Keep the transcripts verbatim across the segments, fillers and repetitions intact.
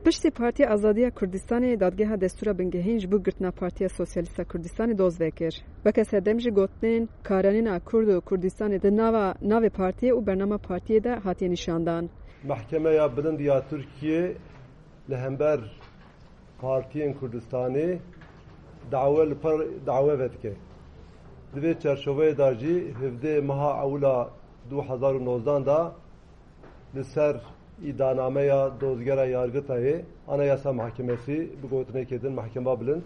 Piştî Partiya Azadiya Kurdistanê dadgeha destûra bingehîn ji bo girtina Partiya Sosyalîst a Kurdistanê doz vekir. Weke sedem jî gotinên karanîna Kurd û Kurdistanê di nava navê partiyê û bernama partiyê de hatiye nîşandan. Mehkemeya Bilind ya Tirkiyê li hember partiyên Kurdistanê dawe li per dawe vedike. Di vê çerçoveyê de jî hevdeh meha ewila du hezar û nozdan de li ser îdanameya dozgera Yargitayê Anayasa Mahkemesi bi gotinekê din Mehkema Bilind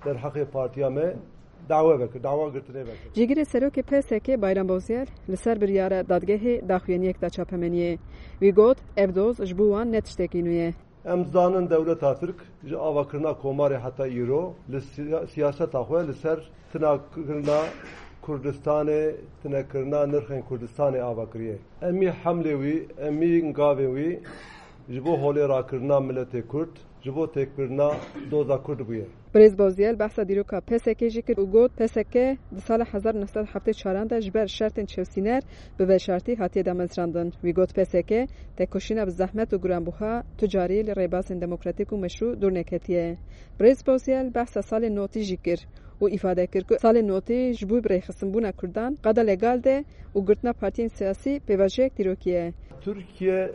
derheqê partiya me dawe vekir, dawa girtinê vekir. Cîgirê Serokê P S K Bayram Bozyel li ser biryara dadgehê daxuyaniyek da çapemeniyê. Wî got, ev doz ji bo wan ne tiştekî nû ye. Em zanin dewleta Tirk ji avakirina komarê heta îro li siya-, siyaseta xwe li ser tinakirina Kurdistanê, tinekirina nirxên Kurdistanê ava kiriye. Em î hemlê wî, em î ngavên wî ji bo holê rakirina miletê Kurd, ji bo têkbirina doza Kurd bûye. Birêz Bozyel behsa dîroka P S K jî kir û got, P S K di sala hezar neh sed heftê çaran de ji ber şertên çewsîner bi veşartî hatiye damezrandin. Wî got, P S K tekoşîna bi zehmet û giranbuha tu carî li rêbazên demokratîk û meşrû dûr neketiye. Birêz Bozyel behsa salên notî jî kir û îfade kir ku salên notî ji bo birêxistinbûna Kurdan qada legal de û girtina partiyên siyasî pêvajoyek dîrokî ye. Tirkiye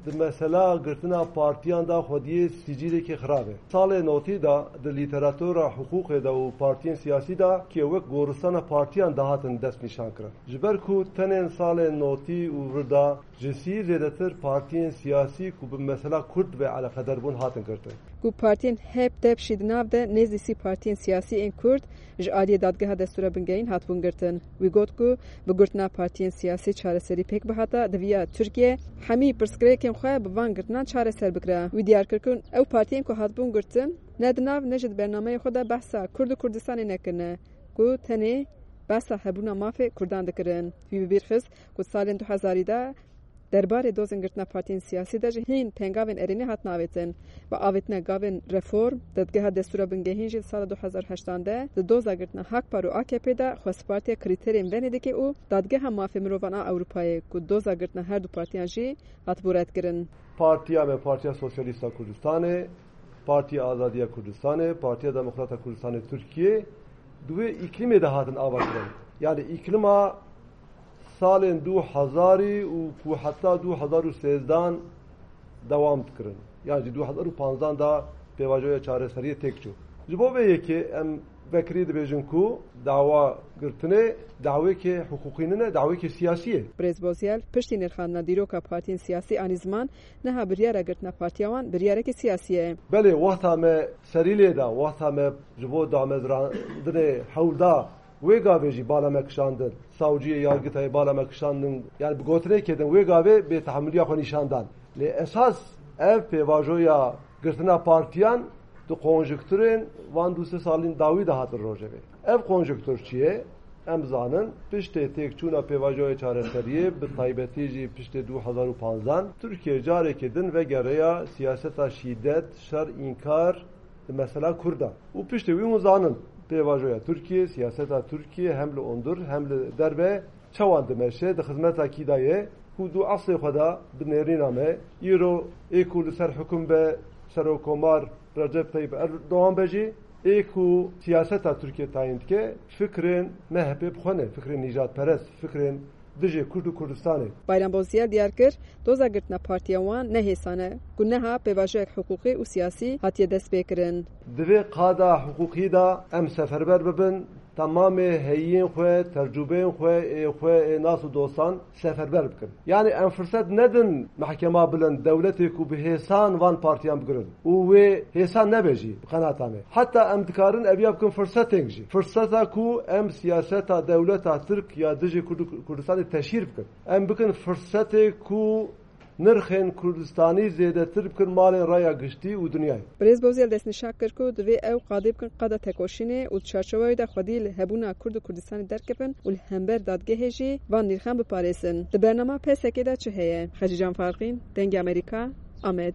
di mesela girtina partiyan de xwediyê sicîlekî xirab e. Salê notî de di lîteratura hiqûqê de û partiyên siyasî de kiye wek goristana partiyan dihatin dest nîşan kirin. Ji ber ku tenên salên notî û vir de ji sî zêdetir partiyên siyasî ku bi mesela Kurd ve eleqeder bûn hatin girtin. Ku partiyên H D P jî di nav de nêzî sî partiyên siyasî ên Kurd ji aliyê dadgeha destûra bingehîn hatibûn girtin. Wî got ku bi girtina partiyên siyasî çareserî pêk bihata, diviya Tirkiye hemî pirsgirêkên xwe bi van girtinan çareser bikira. Wî diyar kir ku ew partiyên ku hatibûn girtin ne di nav ne jî di bernameyê xwe de behsa Kurd û Kurdistanê nekirine, ku tenê behsa hebûna mafê Kurdan dikirin. Wî bi bîr xist ku salên du hezarî de derbarê dozên girtina partiyên siyasî de jî hîn pengavên erênî hatin avêtin. Bi avêtina gavên reform, dadgeha destûra bingehîn jî di sala du hezar heştan de di doza girtina Hakpar û A K P de xwest partiya krîterên Venedikê û Dadgeha Mafê Mirovan a Ewropayê ku doza girtina her du partiyan jî hatibû redkirin. Partiya me, Partiya Sosyalîst a Kurdistanê, Partiya Azadiya Kurdistanê, Partiya Demokrata Kurdistanê Tirkiyê di wê îklîmê de hatin ava kirin. Yani îklîma salên du hezarî û ku heta du hezar û sêzdan dewam dikirin. Yan jî du hezar û panzdan da pêvajoya çareseriyê têk çû. Ji bo vê yekê em vekirî dibêjin ku dawa girtinê dawêkê hiqûqî nine, dawêkê siyasî ye. Birêz Bozyel piştî nirxandina dîroka partiyên siyasî anî ziman, niha biryara girtina partiya wan biryarekî siyasî ye. Belê, wexta me serî lê da, wexta me ji bo damezrandinê hewl da, wê gavê jî bala me kişandin. Savciyê Yargitayê bala me kişandin, yani bi gotinekê din wê gavê bêtehemiliya xwe nîşan dan. Lê esas ev pêvajoya girtina partiyan di konjukturên van du sê salên dawî de hatin rojevê. Ev konjuktur çi ye? Em zanin, piştê têkçûna pêvajoya çareseriyê, bi taybetî jî piştê du hezar û panzdan, Tirkiye carekê din vegereya siyaseta şîdet, şer, înkar di mesela Kurda. Û piştê wî hûn zanin, pêvajoya Tirkiye, siyaseta Tirkiye hem li hundir hem li derve çawan dimeşe, di xizmeta kî de ye, ku du eslê xwe de bi nêrîna me, îro ê ku li ser hikum be, Serokkomar Recep Tayyip Erdogan be jî, ê ku siyaseta Tirkiye tayîn dike, fikrên M H P bi xwe ne, fikrên nîjadperest, fikrên dijê Kurd û Kurdistanê. Bayram Bozyel diyar kir, doza girtina partiya wan ne hêsan e, ku niha pêvajoyek hiqûqî û siyasî hatiye destpêkirin. Di vê qada hiqûqî de em seferber bibin, temamê heyiyên xwe, tercûbeyên xwe, ê xwe, ê nas û dostan seferber bikin. Yani em firset nedin mehkema bilind, dewletê ku bi hêsan van partiyan bigirin û wê hêsan nebe jî bi qenata me. Heta em dikarin eviya bikin firsetên jî. Firseta ku em siyaseta dewleta Tirk ya dijî Kurd-, Kurdistanê teşhîr bikin. Em bikin firsetê ku nirxên Kurdistanî zêdetir bikin malên raya giştî û dinyayê. Birêz Bozyel destnîşan kir ku divê ew qadê bikin qada tekoşînê û di çarçowa wê de xwedî li hebûna Kurd û Kurdistanê derkevin û li hember dadgehê jî van nirxan biparêzin. Di bernama P S K de çi heye? Xecîcan Farqîn, Dengê Amerîka, Amed.